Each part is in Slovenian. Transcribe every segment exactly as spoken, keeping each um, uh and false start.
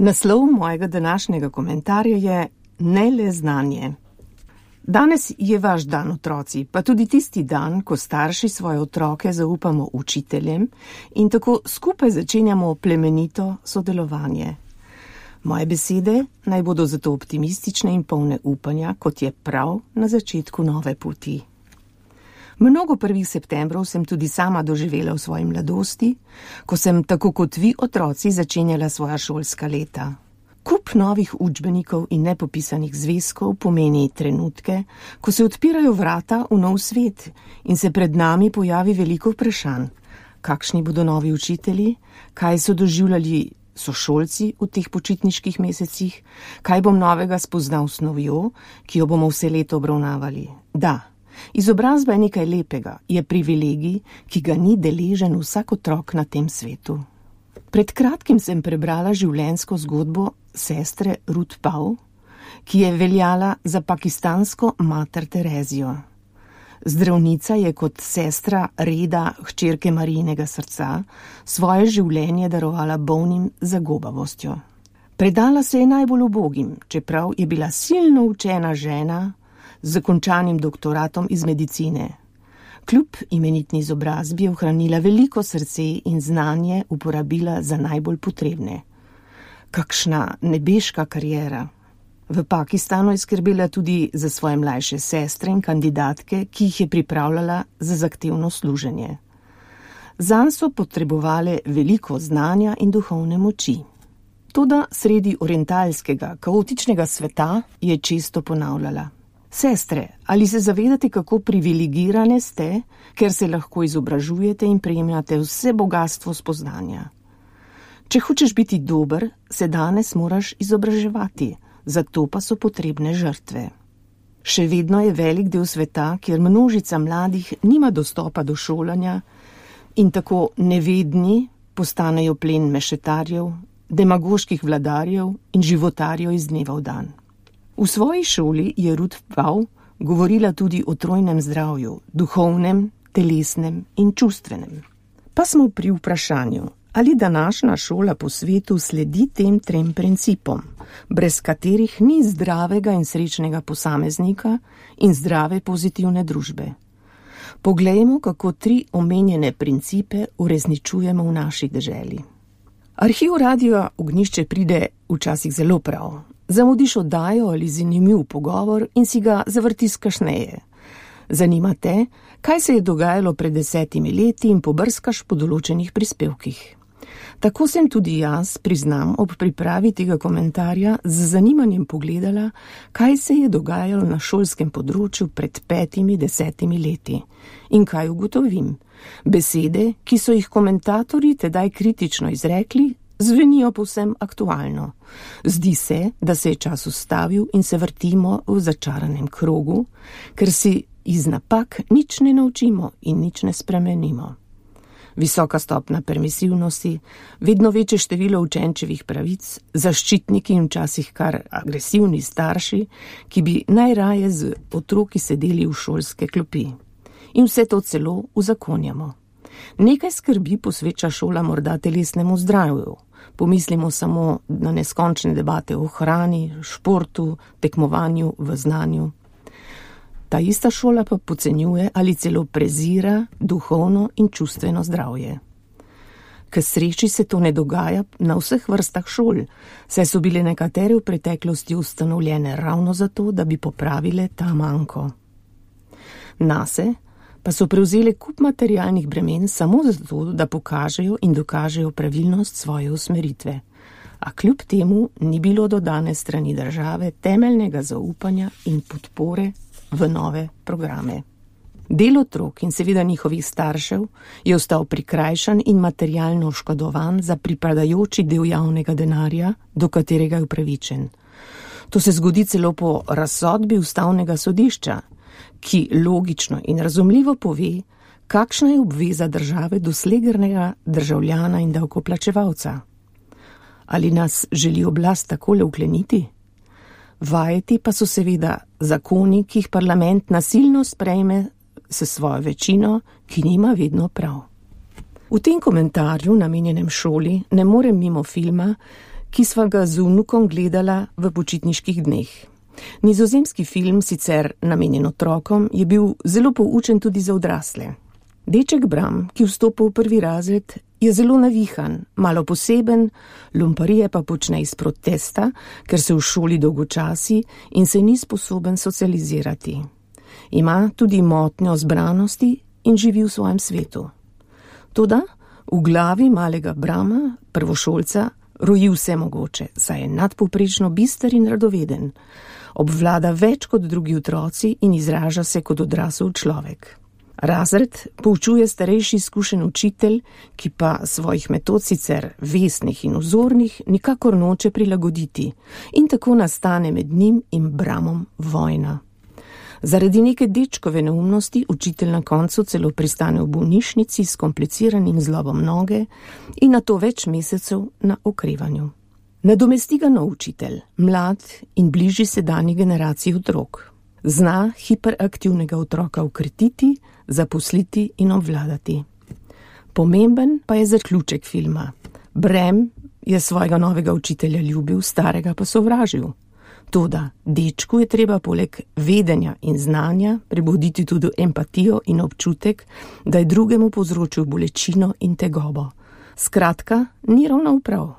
Naslov mojega današnjega komentarja je Ne le znanje. Danes je vaš dan, otroci, pa tudi tisti dan, ko starši svoje otroke zaupamo učiteljem in tako skupaj začenjamo plemenito sodelovanje. Moje besede naj bodo zato optimistične in polne upanja, kot je prav na začetku nove poti. Mnogo prvih septembrov sem tudi sama doživela v svoji mladosti, ko sem tako kot vi otroci začenjala svoja šolska leta. Kup novih učbenikov in nepopisanih zvezkov pomeni trenutke, ko se odpirajo vrata v nov svet in se pred nami pojavi veliko vprašanj. Kakšni bodo novi učitelji, kaj so doživljali sošolci v teh počitniških mesecih, kaj bom novega spoznal s snovjo, ki jo bomo vse leto obravnavali. Da, izobrazba je nekaj lepega, je privilegij, ki ga ni deležen vsak otrok na tem svetu. Pred kratkim sem prebrala življenjsko zgodbo sestre Ruth Pau, ki je veljala za pakistansko mater Terezijo. Zdravnica je kot sestra reda hčerke Marijinega srca svoje življenje darovala bolnim z zagobavostjo. Predala se je najbolj ubogim, čeprav je bila silno učena žena z zakončanim doktoratom iz medicine. Kljub imenitni izobrazbi je ohranila veliko srce in znanje uporabila za najbolj potrebne. Kakšna nebeška kariera. V Pakistanu je skrbela tudi za svoje mlajše sestre in kandidatke, ki jih je pripravljala za zahtevno služenje. Zanj so potrebovale veliko znanja in duhovne moči. Toda sredi orientalskega, kaotičnega sveta je često ponavljala: Sestre, ali se zavedate, kako privilegirane ste, ker se lahko izobražujete in prejemate vse bogatstvo spoznanja? Če hočeš biti dober, se danes moraš izobraževati, zato pa so potrebne žrtve. Še vedno je velik del sveta, kjer množica mladih nima dostopa do šolanja in tako nevedni postanejo plen mešetarjev, demagoških vladarjev in životarjev iz dneva v dan. V svoji šoli je Ruth Pau govorila tudi o trojnem zdravju, duhovnem, telesnem in čustvenem. Pa smo pri vprašanju, ali današnja šola po svetu sledi tem trem principom, brez katerih ni zdravega in srečnega posameznika in zdrave pozitivne družbe. Poglejmo, kako tri omenjene principe uresničujemo v naši deželi. Arhiv Radia Ognjišče pride včasih zelo prav. Zamudiš oddajo ali zanimiv pogovor in si ga zavrtiš kasneje. Zanima te, kaj se je dogajalo pred desetimi leti in pobrskaš po določenih prispevkih. Tako sem tudi jaz, priznam, ob pripravi tega komentarja z zanimanjem pogledala, kaj se je dogajalo na šolskem področju pred petimi, desetimi leti. In kaj ugotovim? Besede, ki so jih komentatorji tedaj kritično izrekli, zvenijo povsem aktualno. Zdi se, da se je čas ustavil in se vrtimo v začaranem krogu, ker si iz napak nič ne naučimo in nič ne spremenimo. Visoka stopna permisivnosti, vedno večje število učenčevih pravic, zaščitniki in včasih kar agresivni starši, ki bi najraje z otroki sedeli v šolske klopi. In vse to celo uzakonjamo. Nekaj skrbi posveča šola morda telesnemu zdravju. Pomislimo samo na neskončne debate o hrani, športu, tekmovanju, v znanju. Ta ista šola pa podcenjuje ali celo prezira duhovno in čustveno zdravje. K sreči se to ne dogaja na vseh vrstah šol, saj so bile nekatere v preteklosti ustanovljene ravno zato, da bi popravile ta manko. Nase pa so prevzeli kup materialnih bremen samo zato, da pokažejo in dokažejo pravilnost svoje usmeritve. A kljub temu ni bilo do danes strani države temeljnega zaupanja in podpore v nove programe. Del otrok in seveda njihovih staršev je ostal prikrajšan in materialno oškodovan za pripadajoči del javnega denarja, do katerega je upravičen. To se zgodi celo po razsodbi ustavnega sodišča, ki logično in razumljivo pove, kakšna je obveza države do slegrnega državljana in davkoplačevalca. Ali nas želi oblast takole ukleniti? Vajeti pa so seveda zakoni, ki jih parlament nasilno sprejme s svojo večino, ki nima vedno prav. V tem komentarju, namenjenem šoli, ne morem mimo filma, ki sva ga z vnukom gledala v počitniških dneh. Nizozemski film, sicer namenjen otrokom, je bil zelo poučen tudi za odrasle. Deček Bram, ki vstopa v prvi razred, je zelo navihan, malo poseben, lumparije pa počne iz protesta, ker se v šoli dolgočasi in se ni sposoben socializirati. Ima tudi motnjo zbranosti in živi v svojem svetu. Toda v glavi malega Brama, prvošolca, roji vse mogoče, saj je nadpovprečno bister in radoveden. Obvlada več kot drugi otroci in izraža se kot odrasel človek. Razred poučuje starejši izkušen učitelj, ki pa svojih metod sicer vesnih in vzornih nikakor noče prilagoditi in tako nastane med njim in Bramom vojna. Zaradi neke dečkove neumnosti učitelj na koncu celo pristane v bolnišnici s kompliciranim zlobom noge in nato več mesecev na okrevanju. Nadomesti ga nov učitelj, mlad in bližji sedanji generaciji otrok. Zna hiperaktivnega otroka ukretiti, zaposliti in obvladati. Pomemben pa je zaključek filma. Bram je svojega novega učitelja ljubil, starega pa sovražil. Toda dečku je treba poleg vedenja in znanja prebuditi tudi empatijo in občutek, da je drugemu povzročil bolečino in tegobo. Skratka, ni ravno prav.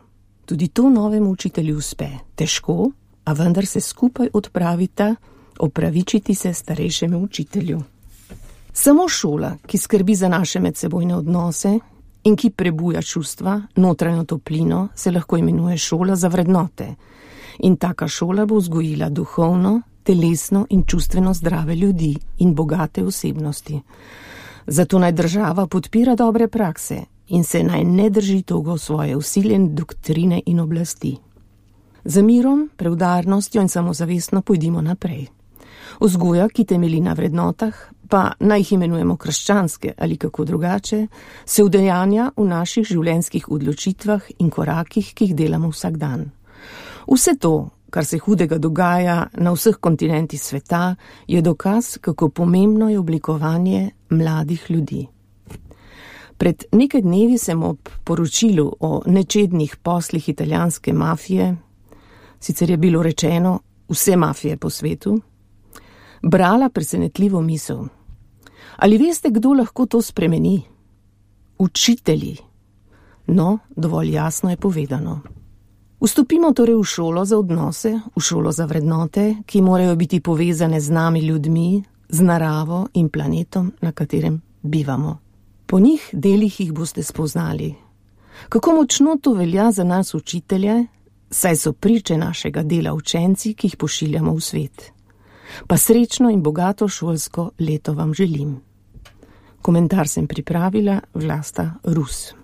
Tudi to novemu učitelju uspe. Težko, a vendar se skupaj odpravita opravičiti se starejšemu učitelju. Samo šola, ki skrbi za naše medsebojne odnose in ki prebuja čustva, notranjo toplino, se lahko imenuje šola za vrednote. In taka šola bo vzgojila duhovno, telesno in čustveno zdrave ljudi in bogate osebnosti. Zato naj država podpira dobre prakse in se naj ne drži togo svoje vsiljene doktrine in oblasti. Za mirom, preudarnostjo in samozavestno pojdimo naprej. Vzgoja, ki temelji na vrednotah, pa naj jih imenujemo krščanske ali kako drugače, se udejanja v naših življenjskih odločitvah in korakih, ki jih delamo vsak dan. Vse to, kar se hudega dogaja na vseh kontinentih sveta, je dokaz, kako pomembno je oblikovanje mladih ljudi. Pred nekaj dnevi sem ob poročilu o nečednih poslih italijanske mafije, sicer je bilo rečeno vse mafije po svetu, brala presenetljivo misel. Ali veste, kdo lahko to spremeni? Učitelji. No, dovolj jasno je povedano. Vstopimo torej v šolo za odnose, v šolo za vrednote, ki morajo biti povezane z nami ljudmi, z naravo in planetom, na katerem bivamo. Po njih delih jih boste spoznali. Kako močno to velja za nas učitelje, saj so priče našega dela učenci, ki jih pošiljamo v svet. Pa srečno in bogato šolsko leto vam želim. Komentar sem pripravila Vlasta Rus.